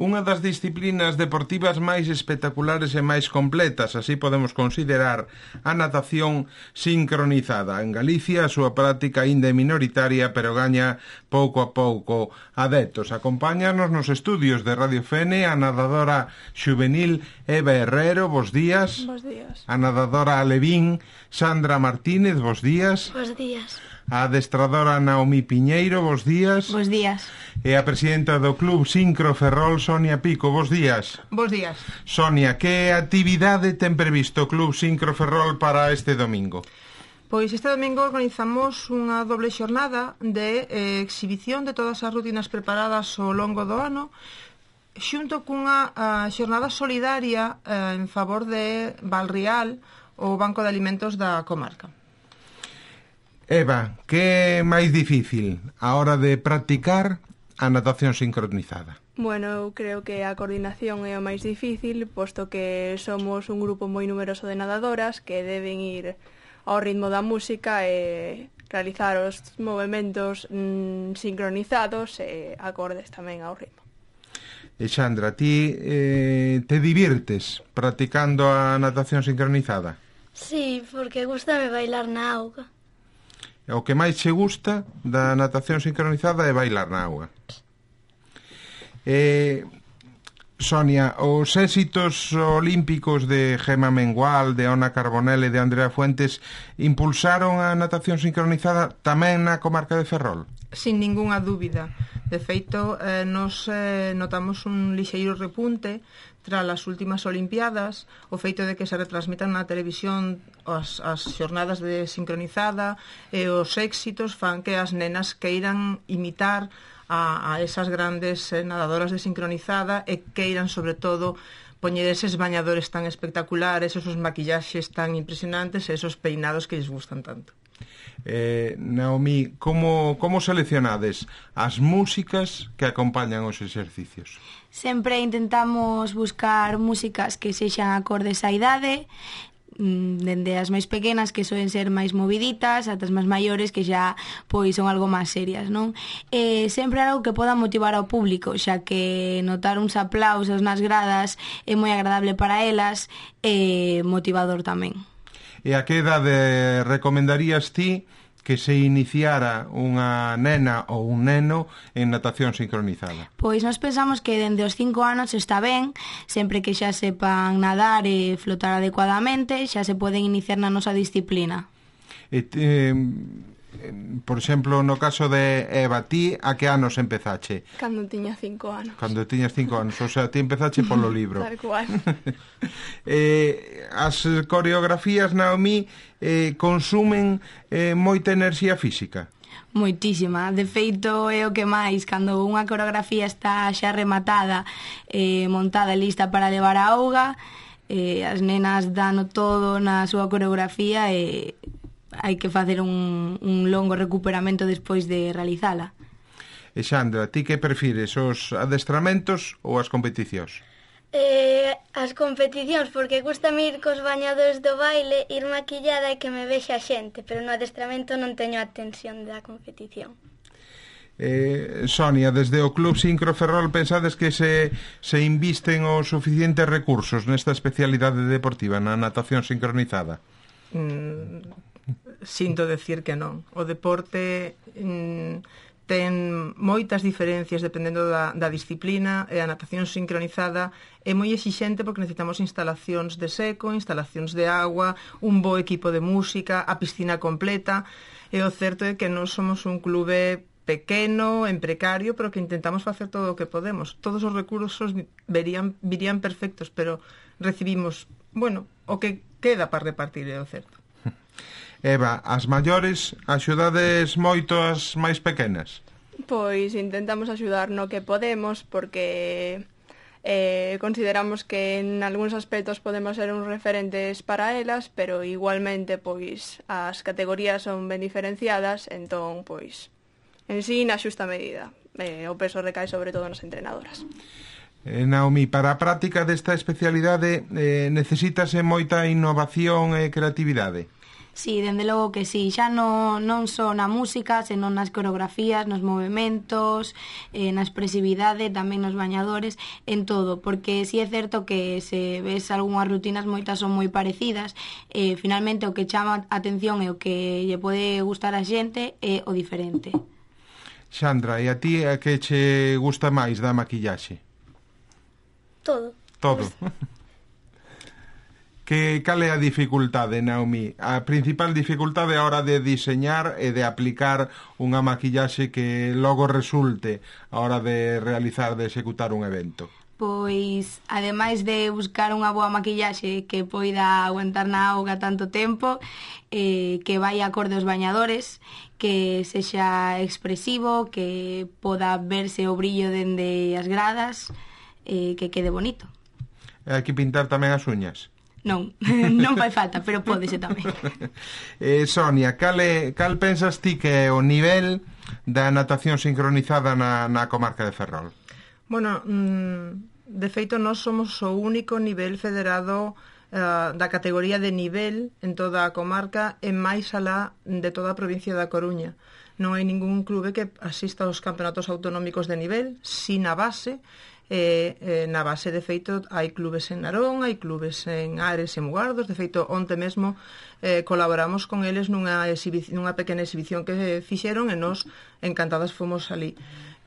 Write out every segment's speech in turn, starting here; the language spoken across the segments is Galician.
unha das disciplinas deportivas máis espectaculares e máis completas, así podemos considerar a natación sincronizada. En Galicia a súa práctica ainda é minoritaria, pero gaña pouco a pouco adeptos. Acompáñanos nos estudios de Radio Fene a nadadora xuvenil Eva Herrero, bos días. Bos días. A nadadora alevín Sandra Martínez, bos días. Bos días. A adestradora Naomi Piñeiro, bos días. Bos días. E a presidenta do Club Sincro Ferrol, Sonia Pico, bos días. Bos días. Sonia, que actividade ten previsto o Club Sincro Ferrol para este domingo? Pois este domingo organizamos unha doble xornada de exhibición de todas as rutinas preparadas ao longo do ano, xunto cunha xornada solidaria en favor de Valrial, o Banco de Alimentos da comarca. Eva, que é máis difícil a hora de practicar a natación sincronizada? Bueno, eu creo que a coordinación é o máis difícil, posto que somos un grupo moi numeroso de nadadoras que deben ir ao ritmo da música e realizar os movementos sincronizados e acordes tamén ao ritmo. E Sandra, ti te divirtes practicando a natación sincronizada? Sí, porque gustame bailar na auga. O que máis che gusta da natación sincronizada é bailar na auga. Sonia, os éxitos olímpicos de Gemma Mengual, de Ona Carbonell e de Andrea Fuentes impulsaron a natación sincronizada tamén na comarca de Ferrol? Sin ningunha dúbida. De feito, nos notamos un lixeiro repunte tras as últimas Olimpiadas, o feito de que se retransmitan na televisión as xornadas de sincronizada e os éxitos fan que as nenas queiran imitar a esas grandes nadadoras de sincronizada e queiran, sobre todo, poñer eses bañadores tan espectaculares, esos maquillaxes tan impresionantes e esos peinados que lles gustan tanto. Naomi, como seleccionades as músicas que acompañan os exercicios? Sempre intentamos buscar músicas que sexan acordes á idade, dende as máis pequenas, que soen ser máis moviditas, ata as máis maiores, que xa pois son algo máis serias, non? Sempre algo que poda motivar ao público, xa que notar uns aplausos nas gradas é moi agradable para elas e motivador tamén. E a que idade recomendarías ti que se iniciara unha nena ou un neno en natación sincronizada? Pois nós pensamos que dende os 5 anos está ben, sempre que xa sepan nadar e flotar adecuadamente, xa se poden iniciar na nosa disciplina. Por exemplo, no caso de Eva, ti a que anos empezache? Cando tiña 5 anos. Cando tiñas 5 anos, o sea, ti empezache polo libro. Tal cual. As coreografías, Naomi, consumen moita enerxía física? Moitísima, de feito é o que máis, cando unha coreografía está xa rematada, montada e lista para levar a auga, as nenas dan todo na súa coreografía e hai que facer un longo recuperamento despois de realizala. E Sandra, ti que prefires, os adestramentos ou as competicións? As competicións, porque gustame ir cos bañadores do baile, ir maquillada e que me vexa a xente, pero no adestramento non teño a tensión da competición. Sonia, desde o Club Sincro Ferrol pensades que se invisten os suficientes recursos nesta especialidade deportiva, na natación sincronizada? Sinto decir que non. O deporte ten moitas diferencias dependendo da disciplina, e a natación sincronizada é moi exixente porque necesitamos instalacións de seco, instalacións de agua, un bo equipo de música, a piscina completa, e o certo é que non somos un clube pequeno, en precario, pero que intentamos facer todo o que podemos. Todos os recursos virían perfectos, pero recibimos, o que queda para repartir, é o certo. Eva, as maiores axudades moito as máis pequenas? Pois intentamos axudar no que podemos, porque consideramos que en algúns aspectos podemos ser uns referentes para elas, pero igualmente pois as categorías son ben diferenciadas, entón pois en sí na xusta medida. O peso recae sobre todo nas entrenadoras. Naomi, para a práctica desta especialidade necesítase moita innovación e creatividade? Sí, dende logo que sí, xa non só na música, senón nas coreografías, nos movementos, na expresividade, tamén nos bañadores, en todo, porque sí é certo que se ves algunhas rutinas, moitas son moi parecidas, finalmente o que chama a atención e o que lle pode gustar a xente é o diferente. Xandra, e a ti a que che gusta máis da maquillaxe? Todo. Todo. Cal é a dificultade, Naomi? A principal dificultade a hora de diseñar e de aplicar unha maquillaxe que logo resulte a hora de realizar, de executar un evento? Pois, ademais de buscar unha boa maquillaxe que poida aguantar na auga tanto tempo, que vai acorde aos bañadores, que sexa expresivo, que poda verse o brillo dende as gradas, que quede bonito. Hai que pintar tamén as uñas? Non, non fai falta, pero pódese tamén. Sonia, cal pensas ti que é o nivel da natación sincronizada na comarca de Ferrol? Bueno, de feito, nós somos o único nivel federado da categoría de nivel en toda a comarca e máis alá de toda a provincia da Coruña. Non hai ningún clube que asista aos campeonatos autonómicos de nivel, si na base. Na base, de feito, hai clubes en Narón, hai clubes en Ares e Mugardos. De feito, onte mesmo colaboramos con eles nunha pequena exhibición que fixeron e nós encantadas fomos ali.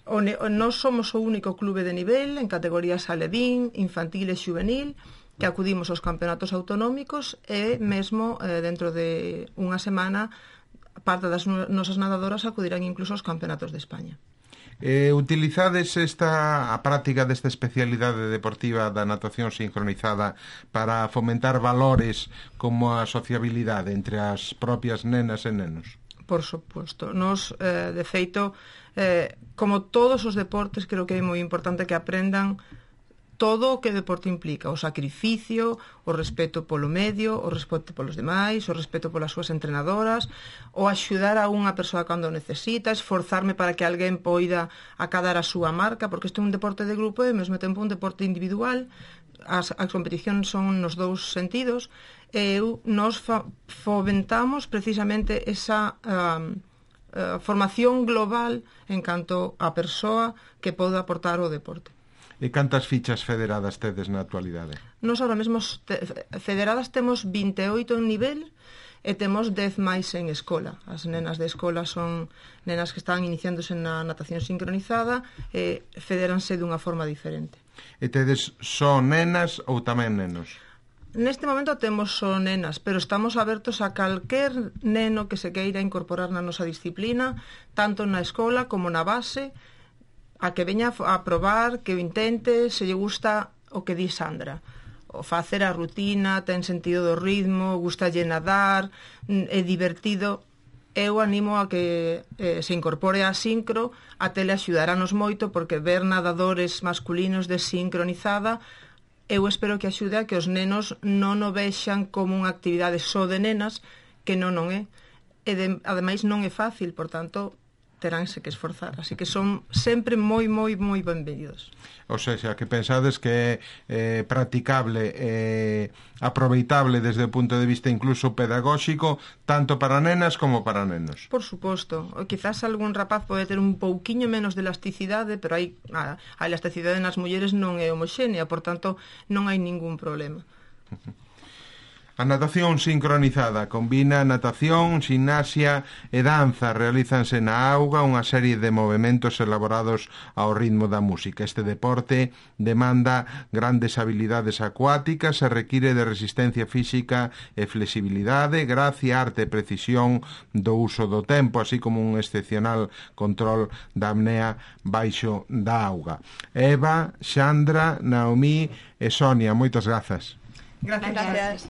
Nós somos o único clube de nivel en categorías alevín, infantil e xuvenil que acudimos aos campeonatos autonómicos e mesmo dentro de unha semana parte das nosas nadadoras acudirán incluso aos campeonatos de España. Utilizades a práctica desta especialidade deportiva da natación sincronizada para fomentar valores como a sociabilidade entre as propias nenas e nenos? Por suposto. Nos, de feito, como todos os deportes, creo que é moi importante que aprendan todo o que o deporte implica, o sacrificio, o respeto polo medio, o respeto polos demais, o respeto polas súas entrenadoras, o axudar a unha persoa cando necesita, esforzarme para que alguén poida acadar a súa marca, porque isto é un deporte de grupo e ao mesmo tempo un deporte individual. As competicións son nos dous sentidos e nos fomentamos precisamente esa formación global en canto a persoa que pode aportar ao deporte. E cantas fichas federadas tedes na actualidade? Nos ahora mesmo federadas temos 28 en nivel e temos 10 máis en escola. As nenas de escola son nenas que están iniciándose na natación sincronizada e federanse dunha forma diferente. E tedes só nenas ou tamén nenos? Neste momento temos só nenas, pero estamos abertos a calquer neno que se queira incorporar na nosa disciplina, tanto na escola como na base, a que veña a probar, que o intente, se lle gusta o que di Sandra. O facer a rutina, ten sentido do ritmo, gustalle nadar, é divertido. Eu animo a que se incorpore a sincro, a tele axudarános moito, porque ver nadadores masculinos de sincronizada, eu espero que axude a que os nenos non o vexan como unha actividade só de nenas, que non é. E ademais non é fácil, por tanto, teránse que esforzar, así que son sempre moi benvidos. O sea, que pensades que é practicable e aproveitable desde o punto de vista incluso pedagóxico, tanto para nenas como para nenos. Por suposto, quizás algún rapaz pode ter un pouquiño menos de elasticidade, pero a elasticidade nas mulleres non é homoxénea, por tanto non hai ningún problema. A natación sincronizada combina natación, ximnasia e danza. Realízanse na auga unha serie de movementos elaborados ao ritmo da música. Este deporte demanda grandes habilidades acuáticas e require de resistencia física e flexibilidade, gracia, arte e precisión do uso do tempo, así como un excepcional control da apnea baixo da auga. Eva, Xandra, Naomi e Sonia, moitas grazas. Gracias.